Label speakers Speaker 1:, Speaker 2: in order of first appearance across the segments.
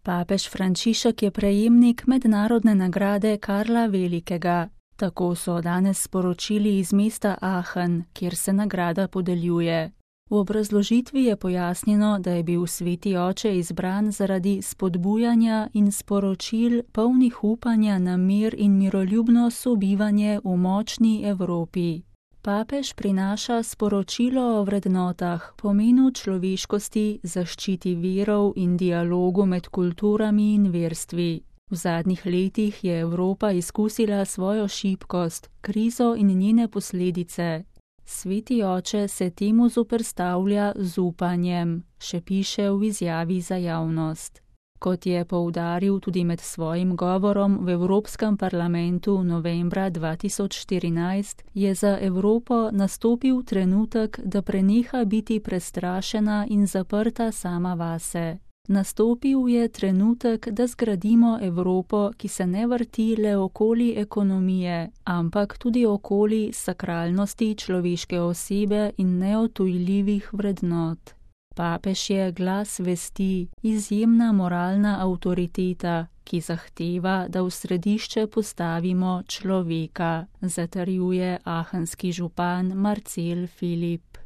Speaker 1: Papež Frančišek je prejemnik mednarodne nagrade Karla Velikega. Tako so danes sporočili iz mesta Aachen, kjer se nagrada podeljuje. V obrazložitvi je pojasnjeno, da je bil sveti oče izbran zaradi spodbujanja in sporočil polnih upanja na mir in miroljubno sobivanje v močni Evropi. Papež prinaša sporočilo o vrednotah, pomenu človeškosti, zaščiti virov in dialogu med kulturami in verstvi. V zadnjih letih je Evropa izkusila svojo šibkost, krizo in njene posledice. Sveti oče se temu zoperstavlja z upanjem, še piše v izjavi za javnost. Kot je poudaril tudi med svojim govorom v Evropskem parlamentu novembra 2014, je za Evropo nastopil trenutek, da preneha biti prestrašena in zaprta sama vase. Nastopil je trenutek, da zgradimo Evropo, ki se ne vrti le okoli ekonomije, ampak tudi okoli sakralnosti človeške osebe in neodtujljivih vrednot. Papež je glas vesti, izjemna moralna avtoriteta, ki zahteva, da v središče postavimo človeka, zatrjuje aachenski župan Marcel Filip.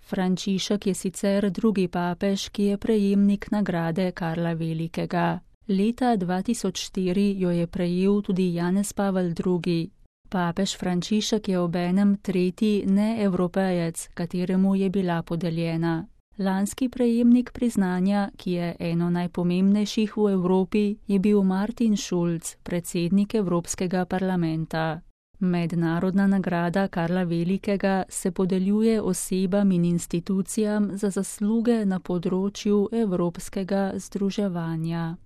Speaker 1: Frančišek je sicer drugi papež, ki je prejemnik nagrade Karla Velikega. Leta 2004 jo je prejel tudi Janez Pavel II. Papež Frančišek je obenem tretji neevropejec, kateremu je bila podeljena. Lanski prejemnik priznanja, ki je eno najpomembnejših v Evropi, je bil Martin Schulz, predsednik Evropskega parlamenta. Mednarodna nagrada Karla Velikega se podeljuje osebam in institucijam za zasluge na področju evropskega združevanja.